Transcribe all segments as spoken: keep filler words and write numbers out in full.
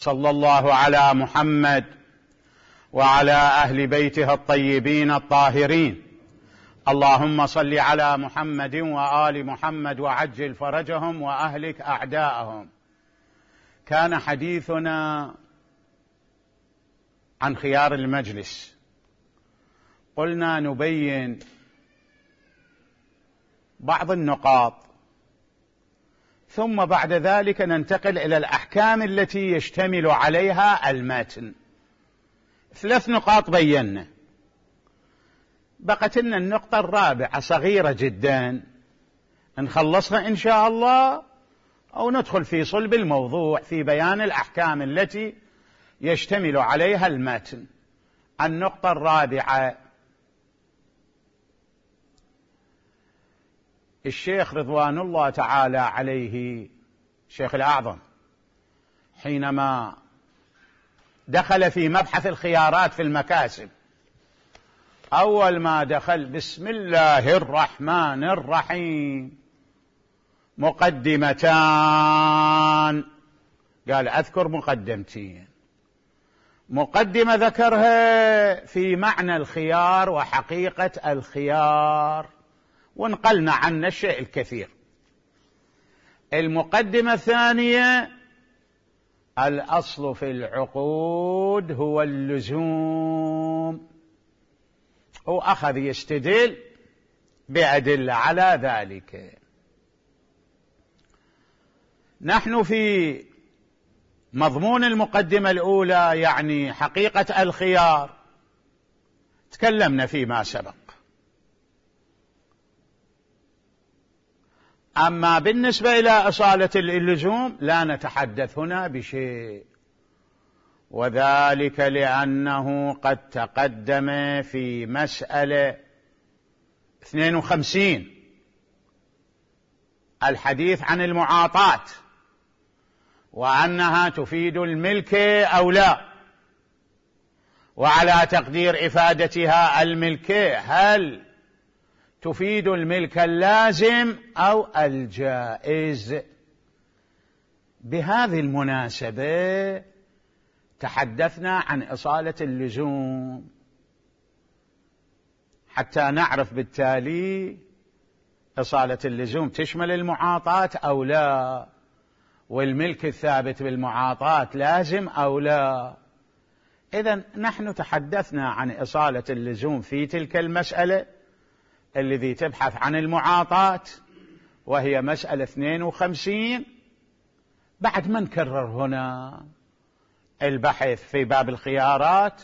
صلى الله على محمد وعلى أهل بيته الطيبين الطاهرين. اللهم صل على محمد وآل محمد وعجل فرجهم وأهلك أعداءهم. كان حديثنا عن خيار المجلس، قلنا نبين بعض النقاط ثم بعد ذلك ننتقل إلى الأحكام التي يشتمل عليها المتن. ثلاث نقاط بينا، بقت لنا النقطة الرابعة صغيرة جدا نخلصها إن شاء الله أو ندخل في صلب الموضوع في بيان الأحكام التي يشتمل عليها المتن. النقطة الرابعة، الشيخ رضوان الله تعالى عليه الشيخ الأعظم حينما دخل في مبحث الخيارات في المكاسب، أول ما دخل بسم الله الرحمن الرحيم مقدمتان، قال أذكر مقدمتين. مقدمة ذكرها في معنى الخيار وحقيقة الخيار ونقلنا عنه الشيء الكثير. المقدمة الثانية، الأصل في العقود هو اللزوم، وأخذ يستدل بأدلة على ذلك. نحن في مضمون المقدمة الأولى يعني حقيقة الخيار تكلمنا فيما سبق، أما بالنسبة إلى أصالة اللزوم لا نتحدث هنا بشيء، وذلك لأنه قد تقدم في مسألة اثنين وخمسين الحديث عن المعاطاة وأنها تفيد الملك أو لا، وعلى تقدير إفادتها الملكية هل تفيد الملك اللازم أو الجائز. بهذه المناسبة تحدثنا عن إصالة اللزوم حتى نعرف بالتالي إصالة اللزوم تشمل المعاطاة أو لا، والملك الثابت بالمعاطاة لازم أو لا. إذن نحن تحدثنا عن إصالة اللزوم في تلك المسألة الذي تبحث عن المعاطاة وهي مسألة اثنين وخمسين. بعد ما نكرر هنا البحث في باب الخيارات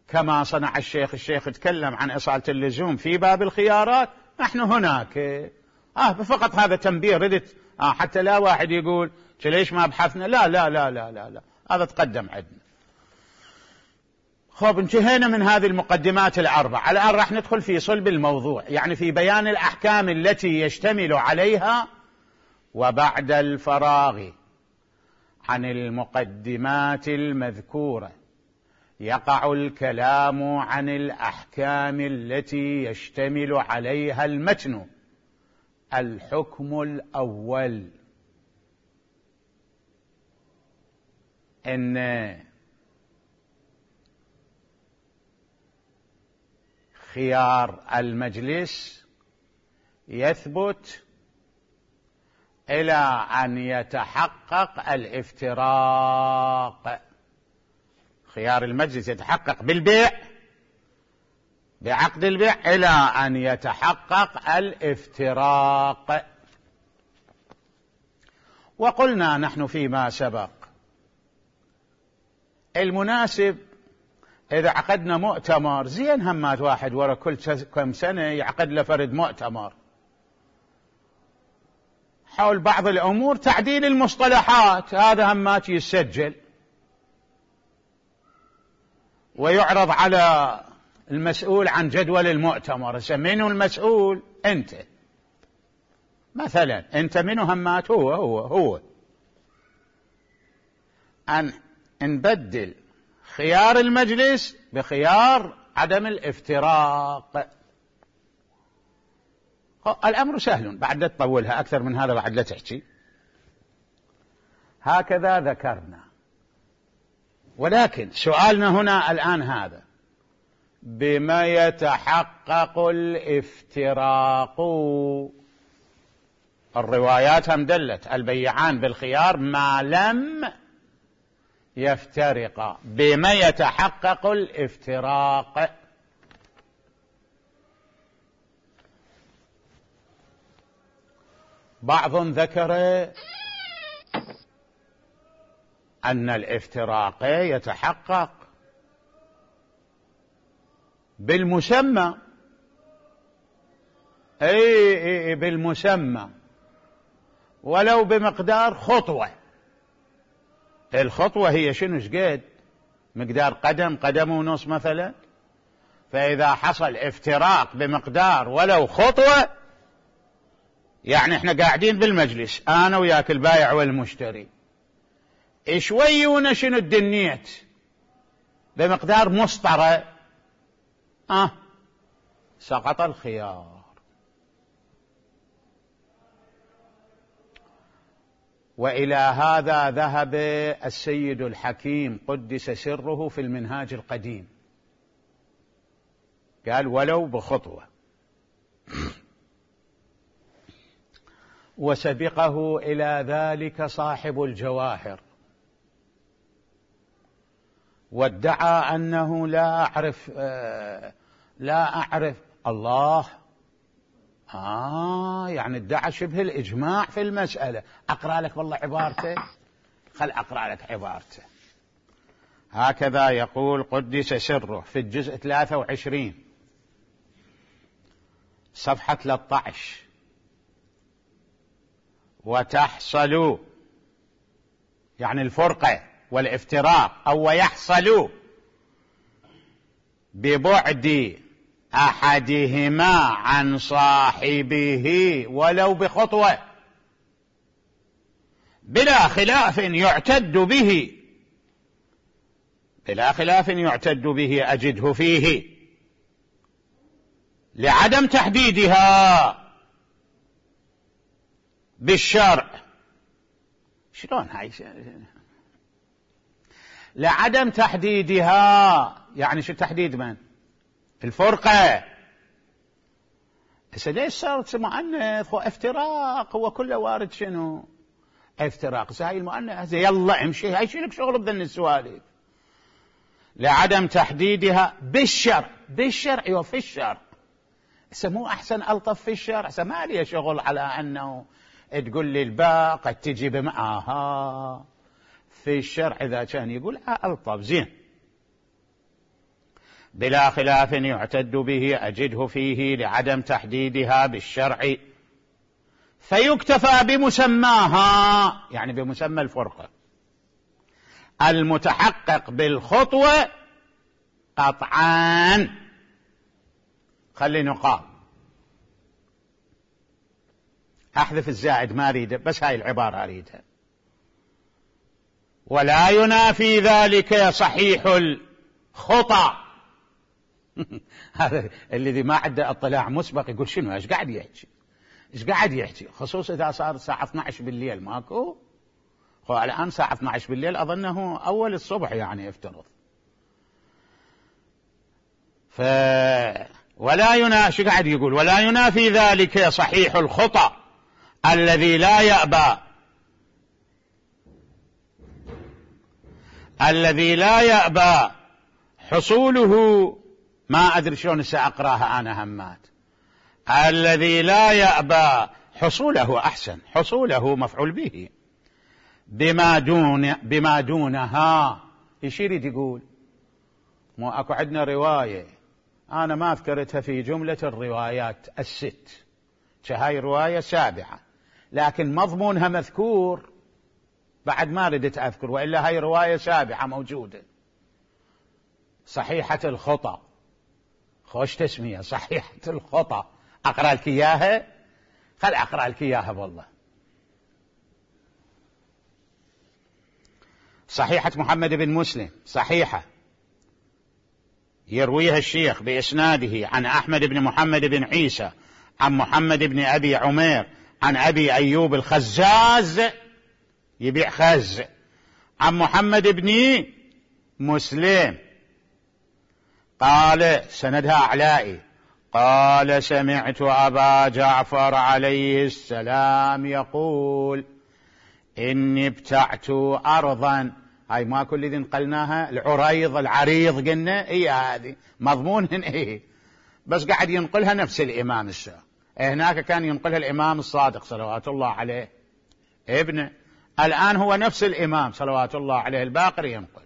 كما صنع الشيخ الشيخ تكلم عن إصالة اللزوم في باب الخيارات، نحن هناك آه فقط هذا تنبيه ردت آه حتى لا واحد يقول ليش ما بحثنا. لا لا لا لا لا, لا. هذا تقدم عندنا. خب انتهينا من هذه المقدمات الأربع. الآن راح ندخل في صلب الموضوع، يعني في بيان الأحكام التي يشتمل عليها. وبعد الفراغ عن المقدمات المذكورة يقع الكلام عن الأحكام التي يشتمل عليها المتن. الحكم الأول، إن خيار المجلس يثبت إلى أن يتحقق الافتراق. خيار المجلس يتحقق بالبيع، بعقد البيع، إلى أن يتحقق الافتراق. وقلنا نحن فيما سبق المناسب إذا عقدنا مؤتمر زين همات واحد ورا كل كم سنة يعقد له فرد مؤتمر حول بعض الأمور، تعديل المصطلحات، هذا همات يسجل ويعرض على المسؤول عن جدول المؤتمر. منو المسؤول؟ أنت مثلا، أنت منو همات؟ هو هو هو أن نبدل خيار المجلس بخيار عدم الافتراق. الأمر سهل، بعد لا تطولها أكثر من هذا، بعد لا تحكي. هكذا ذكرنا ولكن سؤالنا هنا الآن هذا: بما يتحقق الافتراق؟ الروايات هم دلت البيعان بالخيار ما لم يفترقا. بما يتحقق الافتراق؟ بعض ذكر أن الافتراق يتحقق بالمسمى. أي بالمسمى، ولو بمقدار خطوة. الخطوة هي شنو؟ شقد؟ مقدار قدم، قدم ونص مثلا. فإذا حصل افتراق بمقدار ولو خطوة، يعني احنا قاعدين بالمجلس انا وياك البايع والمشتري، شوي ونشن الدنيت بمقدار مسطرة، اه سقط الخيار. وإلى هذا ذهب السيد الحكيم قدس سره في المنهاج القديم، قال ولو بخطوة. وسبقه إلى ذلك صاحب الجواهر، وادعى أنه لا أعرف آه لا أعرف الله آه يعني ادعى شبه الإجماع في المسألة. أقرأ لك والله عبارته، خل أقرأ لك عبارته. هكذا يقول قدس سره في الجزء ثلاثة وعشرين صفحة ثلاثة عشر: وتحصل يعني الفرقة والافتراق، أو ويحصل ببعد أحدهما عن صاحبه ولو بخطوة، بلا خلاف يعتد به بلا خلاف يعتد به أجده فيه، لعدم تحديدها بالشرع. شلون هاي؟ لعدم تحديدها، يعني شو تحديد من؟ الفرقة. هسه ليش صارت مؤنث وافتراق؟ هو كله وارد شنو؟ افتراق. هاي المؤنث يلا امشي، هاي شيلك شغل بذن السوالف. لعدم تحديدها بالشرع. بالشرع وفي الشرع. هسه مو احسن الطف في الشرع؟ هسه ما لي شغل على انه تقول لي الباء قد تجي بمعها. في الشرع إذا كان يقول ألطف زين. بلا خلاف يعتد به أجده فيه لعدم تحديدها بالشرع، فيكتفى بمسماها، يعني بمسمى الفرقة المتحقق بالخطوة قطعا. خلي نقال، أحذف الزائد ما أريده، بس هاي العبارة أريدها. ولا ينافي ذلك صحيح الخطأ. هذا الذي ما عنده اطلاع مسبق يقول شنو ايش قاعد يحكي ايش قاعد يحكي خصوصا إذا صار الساعة اثني عشر بالليل ماكو. هو الآن الساعة اثني عشر بالليل أظنه أول الصبح يعني يفترض. ف ولا ينافي، قاعد يقول ولا ينافي ذلك صحيح الخطأ الذي لا يأبى الذي لا يأبى حصوله. ما أدري شلون سأقراها أنا همات. الذي لا يأبى حصوله، أحسن، حصوله مفعول به، بما دون بما دونها. ايش يريد يقول؟ مو اكو عندنا رواية أنا ما أذكرتها في جملة الروايات الست، هاي رواية سابعة لكن مضمونها مذكور، بعد ما ردت أذكر، وإلا هاي رواية سابعة موجودة. صحيحة الخطأ، خوش تسمية، صحيحة الخطأ. أقرأ لك إياها، خل أقرأ لك إياها والله. صحيحة محمد بن مسلم، صحيحة يرويها الشيخ بإسناده عن أحمد بن محمد بن عيسى عن محمد بن أبي عمير عن أبي أيوب الخزاز، يبيع خز، عن محمد بن مسلم قال سندها أعلائي قال سمعت أبا جعفر عليه السلام يقول إني ابتعت أرضا. هاي ما كل ذي نقلناها العريض العريض قلنا إيه هذه مضمونهن إيه، بس قاعد ينقلها نفس الإمام السابق. هناك كان ينقلها الإمام الصادق صلوات الله عليه ابنه، الآن هو نفس الإمام صلوات الله عليه الباقر ينقل،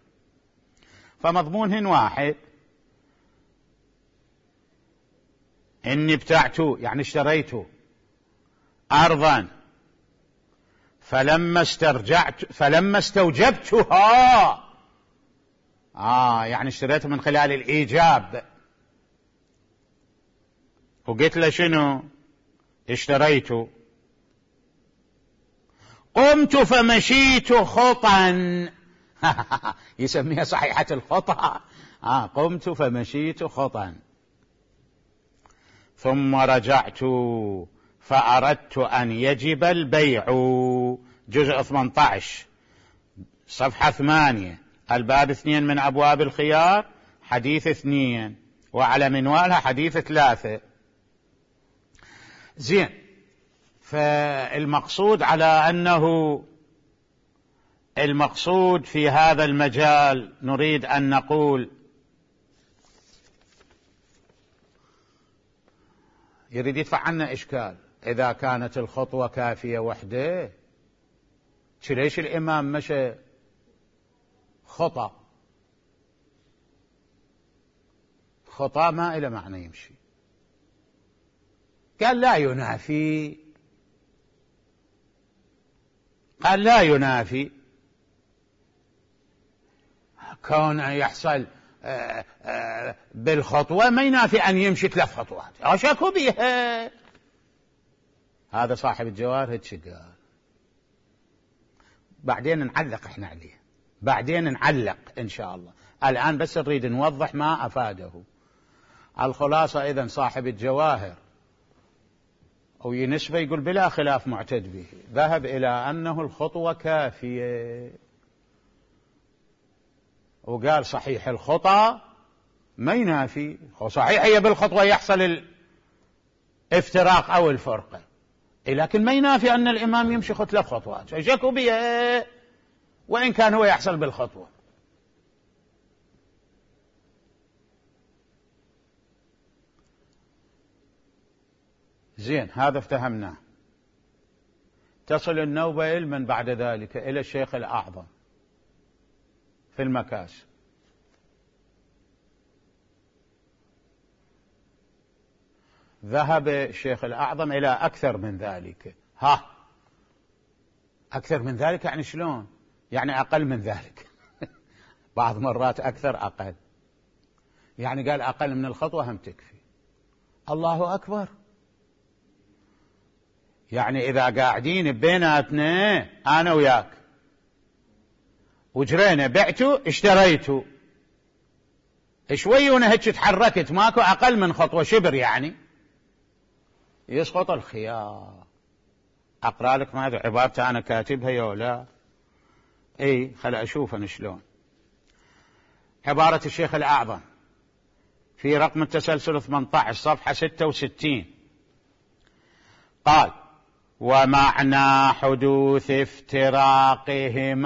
فمضمونهن واحد. إني ابتعت يعني اشتريت أرضا فلما استرجعت فلما استوجبتها، آه يعني اشتريتها من خلال الإيجاب. وقلت له شنو اشتريت؟ قمت فمشيت خطا يسميها صحيحة الخطأ. آه قمت فمشيت خطا ثم رجعت فأردت أن يجب البيع. جزء ثمانية عشر صفحة ثمانية الباب اثنين من أبواب الخيار حديث اثنين، وعلى منوالها حديث ثلاثة. زين، فالمقصود على أنه المقصود في هذا المجال نريد أن نقول يريد يدفع عنا إشكال. إذا كانت الخطوة كافية وحده ليش الإمام مشى خطأ؟ خطأ ما إلى معنى يمشي. قال لا ينافي، قال لا ينافي كون يحصل بالخطوة ما ينافي أن يمشي ثلاث خطوات أشكوا بها. هذا صاحب الجواهر هيك قال. بعدين نعلق احنا عليه، بعدين نعلق إن شاء الله. الآن بس نريد نوضح ما أفاده. الخلاصة إذن صاحب الجواهر وينسبه يقول بلا خلاف معتد به، ذهب إلى أنه الخطوة كافية، وقال صحيح الخطأ ما ينافي، صحيح هي بالخطوة يحصل الافتراق أو الفرقة، لكن ما ينافي أن الإمام يمشي ثلاث خطوات شكوا بها وإن كان هو يحصل بالخطوة. زين، هذا افتهمناه. تصل النوبة من بعد ذلك إلى الشيخ الأعظم في المكاسب. ذهب الشيخ الأعظم إلى أكثر من ذلك. ها أكثر من ذلك يعني شلون؟ يعني أقل من ذلك بعض مرات أكثر أقل، يعني قال أقل من الخطوة هم تكفي. الله أكبر. يعني إذا قاعدين بيناتنا أنا وياك وجرينا بعته اشتريته شوي وانا هيك تحركت ماكو أقل من خطوة شبر، يعني يسقط الخيار. أقرأ لك ماذا عبارته أنا كاتبها يا لا؟ اي خل أشوف أنا شلون. عبارة الشيخ الأعظم في رقم التسلسل ثمانية عشر صفحة ستة وستين قال: ومعنى حدوث افتراقهما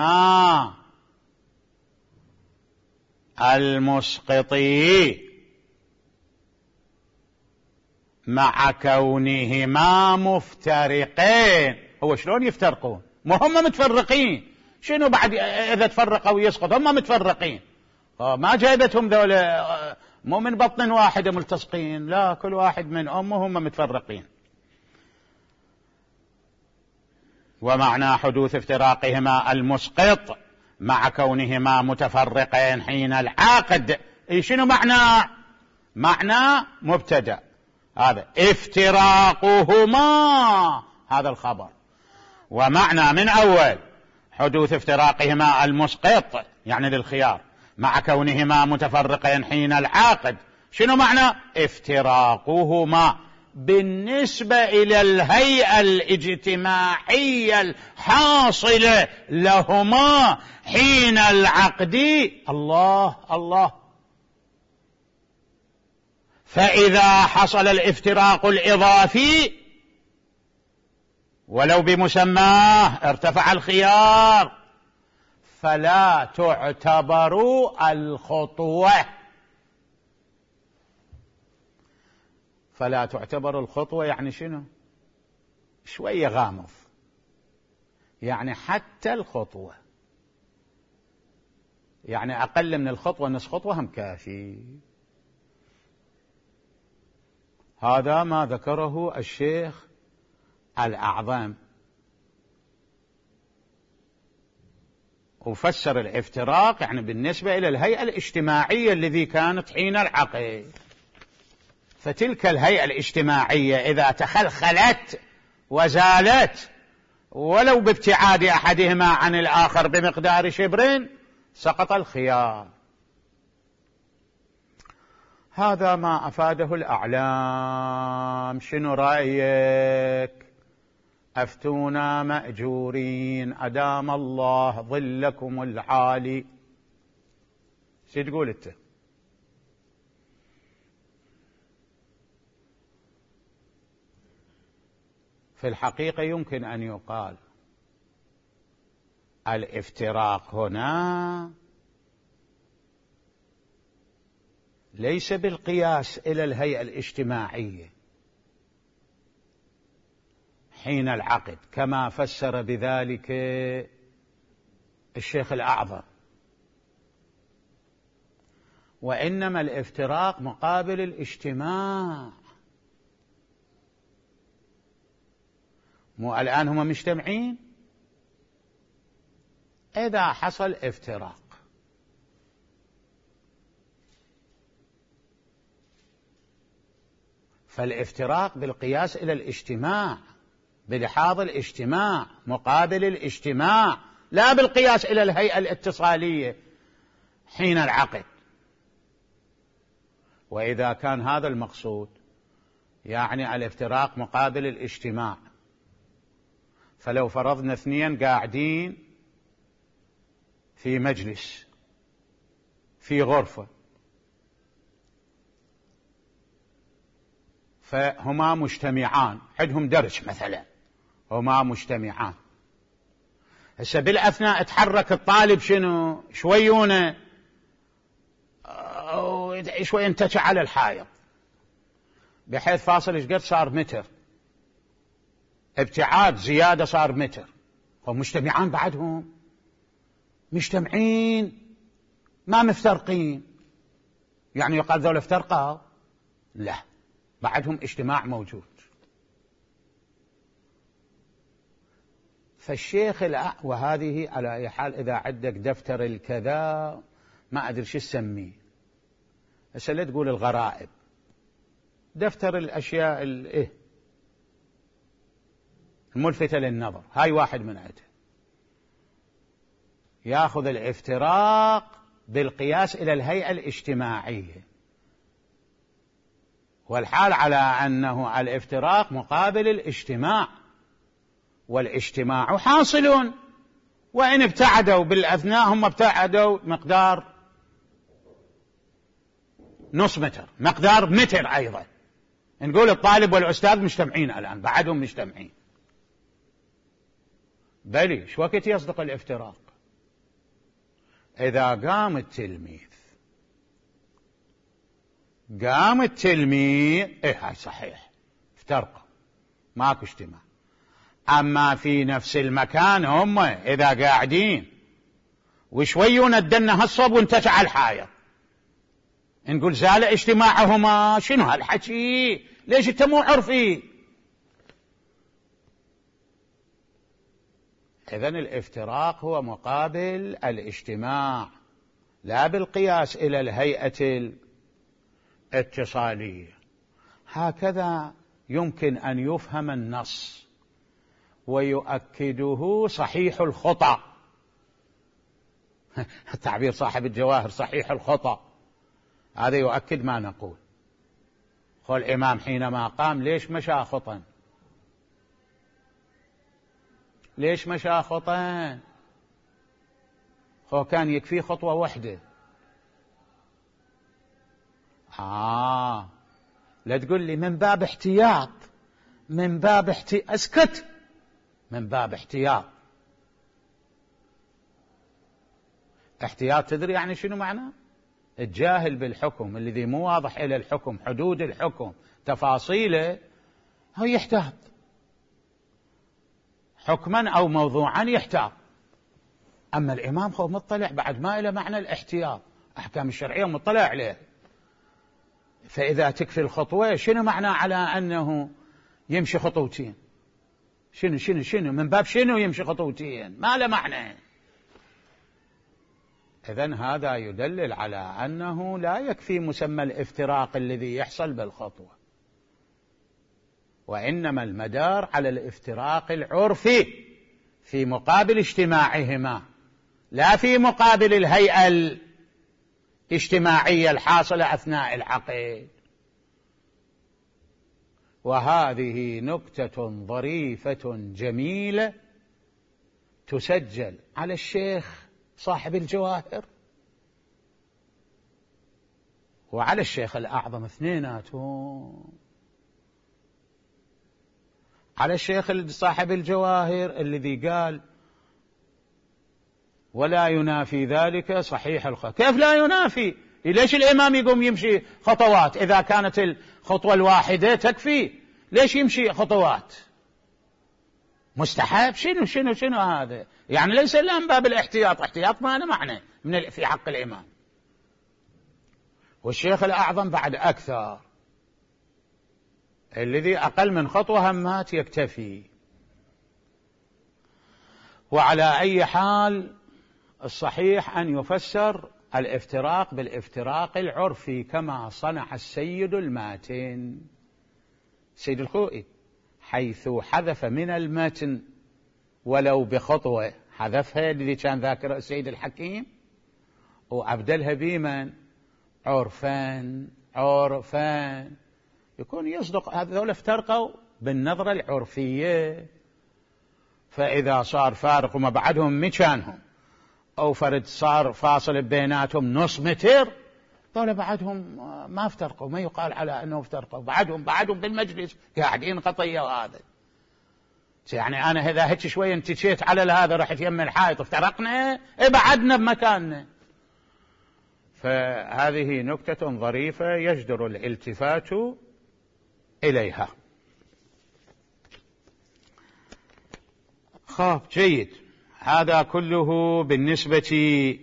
المسقطي مع كونهما مفترقين. هو شلون يفترقون؟ ما هم متفرقين، شنو بعد إذا تفرقوا يسقط؟ هم متفرقين، ما جايبتهم ذولا مو من بطن واحدة ملتصقين، لا كل واحد من أمه هم متفرقين. ومعنى حدوث افتراقهما المسقط مع كونهما متفرقين حين العقد. اي شنو معنى؟ معنى مبتدأ، هذا افتراقهما هذا الخبر، ومعنى من أول حدوث افتراقهما المسقط يعني للخيار مع كونهما متفرقين حين العقد. شنو معنى افتراقهما؟ بالنسبة إلى الهيئة الاجتماعية الحاصلة لهما حين العقد. الله الله. فإذا حصل الافتراق الإضافي ولو بمسماه ارتفع الخيار، فلا تعتبر الخطوة فلا تعتبر الخطوة يعني شنو؟ شوية غامض، يعني حتى الخطوة، يعني أقل من الخطوة نصف خطوة هم كافي. هذا ما ذكره الشيخ الأعظم، وفسر الافتراق يعني بالنسبة إلى الهيئة الاجتماعية الذي كانت حين العقد. فتلك الهيئة الاجتماعية إذا تخلخلت وزالت ولو بابتعاد أحدهما عن الآخر بمقدار شبر سقط الخيار. هذا ما أفاده الأعلام. شنو رأيك؟ أفتونا مأجورين أدام الله ظلكم العالي. شو تقول أنت؟ في الحقيقة يمكن أن يقال الافتراق هنا ليس بالقياس إلى الهيئة الاجتماعية حين العقد كما فسر بذلك الشيخ الأعظم، وإنما الافتراق مقابل الاجتماع. مو الآن هم مجتمعين؟ إذا حصل افتراق فالافتراق بالقياس إلى الاجتماع، بلحاظ الاجتماع مقابل الاجتماع، لا بالقياس إلى الهيئة الاتصالية حين العقد. وإذا كان هذا المقصود يعني الافتراق مقابل الاجتماع، فلو فرضنا اثنين قاعدين في مجلس في غرفة فهما مجتمعان، عندهم درس مثلا، هما مجتمعان، هسه بالأثناء تحرك الطالب شنو شويونه شوي انتشع على الحائط بحيث فاصل ايش قد صار متر، ابتعاد زيادة صار متر، هم مجتمعان بعدهم مجتمعين ما مفترقين، يعني يقال ذولا افترقوا؟ لا، بعدهم اجتماع موجود. فالشيخ الأ... وهذه على أي حال إذا عندك دفتر الكذا ما أدري شو تسميه، هسه لا تقول الغرائب، دفتر الأشياء الإيه الملفتة للنظر، هاي واحد من عده يأخذ الافتراق بالقياس إلى الهيئة الاجتماعية، والحال على أنه الافتراق مقابل الاجتماع، والاجتماع حاصل، وإن ابتعدوا بالأثناء هم ابتعدوا مقدار نص متر، مقدار متر أيضا. نقول الطالب والأستاذ مجتمعين الآن، بعدهم مجتمعين، بلي شو وقت يصدق الافتراق؟ إذا قام التلميذ قام التلميذ إيه هاي صحيح افترقوا ماكو اجتماع. أما في نفس المكان هم إذا قاعدين وشويون الدنة هالصوب وانتشع الحائط، نقول زال اجتماعهما. شنو هالحكي؟ ليش انت مو عرفي؟ إذن الافتراق هو مقابل الاجتماع، لا بالقياس إلى الهيئة الاتصالية. هكذا يمكن أن يفهم النص، ويؤكده صحيح الخطأ تعبير صاحب الجواهر صحيح الخطأ، هذا يؤكد ما نقول. خو الإمام حينما قام ليش مشى خطا؟ ليش مشى خطا؟ خو كان يكفي خطوة واحدة. آه لا تقول لي من باب احتياط، من باب احتياط، اسكت، من باب احتياط. احتياط تدري يعني شنو معناه؟ الجاهل بالحكم الذي مو واضح إلى الحكم، حدود الحكم، تفاصيله، هو يحتاط حكما أو موضوعا يحتاط. أما الإمام هو مطلع بعد ما إلى معنى الاحتياط، أحكام الشرعية مطلع عليه. فإذا تكفي الخطوة شنو معنى على أنه يمشي خطوتين؟ شنو شنو شنو من باب شنو يمشي خطوتين؟ ما له معنى. إذن هذا يدلل على أنه لا يكفي مسمى الافتراق الذي يحصل بالخطوة، وإنما المدار على الافتراق العرفي في مقابل اجتماعهما، لا في مقابل الهيئة الاجتماعية الحاصلة أثناء العقد. وهذه نكتة ظريفة جميلة تسجل على الشيخ صاحب الجواهر وعلى الشيخ الأعظم اثنيناتهم. على الشيخ صاحب الجواهر الذي قال ولا ينافي ذلك صحيح الخطوة. كيف لا ينافي؟ ليش الإمام يقوم يمشي خطوات إذا كانت الخطوة الواحدة تكفي؟ ليش يمشي خطوات؟ مستحب؟ شنو شنو شنو هذا؟ يعني ليس إلا من باب الاحتياط، احتياط ما له معنى من في حق الإمام. والشيخ الأعظم بعد أكثر، الذي أقل من خطوة همات يكتفي. وعلى أي حال الصحيح أن يفسر الافتراق بالافتراق العرفي كما صنع السيد الماتن سيد الخوئي، حيث حذف من المتن ولو بخطوة، حذفها الذي كان ذاكر السيد الحكيم وأبدلها بمن؟ عرفان. عرفان يكون يصدق هذول افترقوا بالنظرة العرفية. فإذا صار فارق وما بعدهم مكانهم أو فرد صار فاصل بيناتهم نص متر، دول بعدهم ما افترقوا، ما يقال على أنه افترقوا، بعدهم بعدهم بالمجلس قاعدين قطية. وهذا يعني أنا إذا هيك شوية انتشيت على هذا رحت يم الحائط افترقنا، بعدنا بمكاننا. فهذه نكتة ظريفة يجدر الالتفات إليها. خاب جيد. هذا كله بالنسبة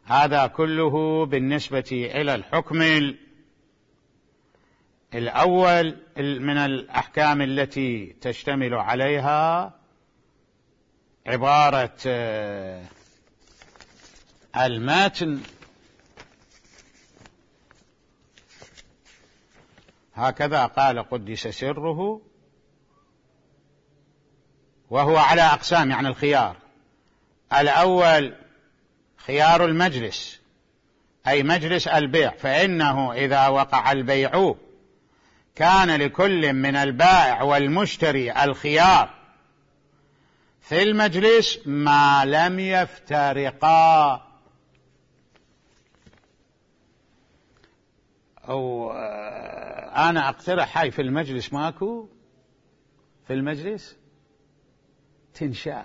هذا كله بالنسبة إلى الحكم الأول من الأحكام التي تشتمل عليها عبارة المتن. هكذا قال قدس سره، وهو على أقسام، يعني الخيار. الأول خيار المجلس، أي مجلس البيع، فإنه إذا وقع البيع كان لكل من البائع والمشتري الخيار في المجلس ما لم يفترقا. أو أنا أقترح هاي في المجلس ماكو، في المجلس تنشال.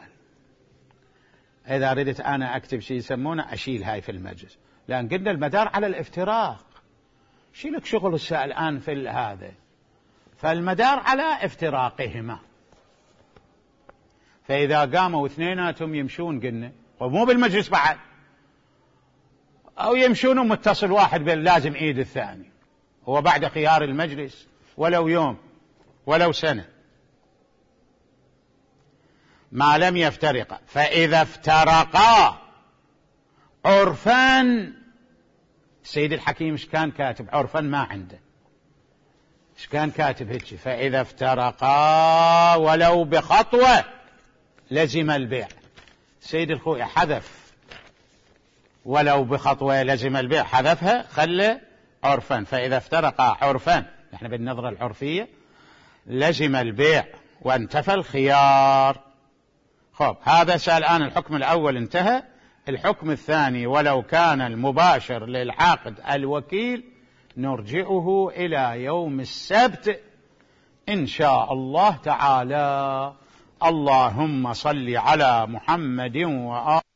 إذا ردت أنا أكتب شيء يسمونه أشيل هاي في المجلس، لأن قلنا المدار على الافتراق. شيلك شغل السائل الآن في هذا، فالمدار على افتراقهما. فإذا قاموا اثنيناتهم يمشون قلنا ومو بالمجلس بعد، أو يمشون متصل واحد لازم إيد الثاني، هو بعد خيار المجلس ولو يوم ولو سنة ما لم يفترقا. فإذا افترقا عرفان، السيد الحكيم ايش كان كاتب؟ عرفان ما عنده، ايش كان كاتب هيك؟ فإذا افترقا ولو بخطوة لزم البيع. السيد الخوئي حذف ولو بخطوة لزم البيع، حذفها خلى عرفان. فإذا افترقا عرفان نحن بالنظرة العرفية لزم البيع وانتفى الخيار. خب هذا سأل الآن الحكم الأول انتهى. الحكم الثاني ولو كان المباشر للعقد الوكيل نرجئه إلى يوم السبت إن شاء الله تعالى. اللهم صل على محمد وآله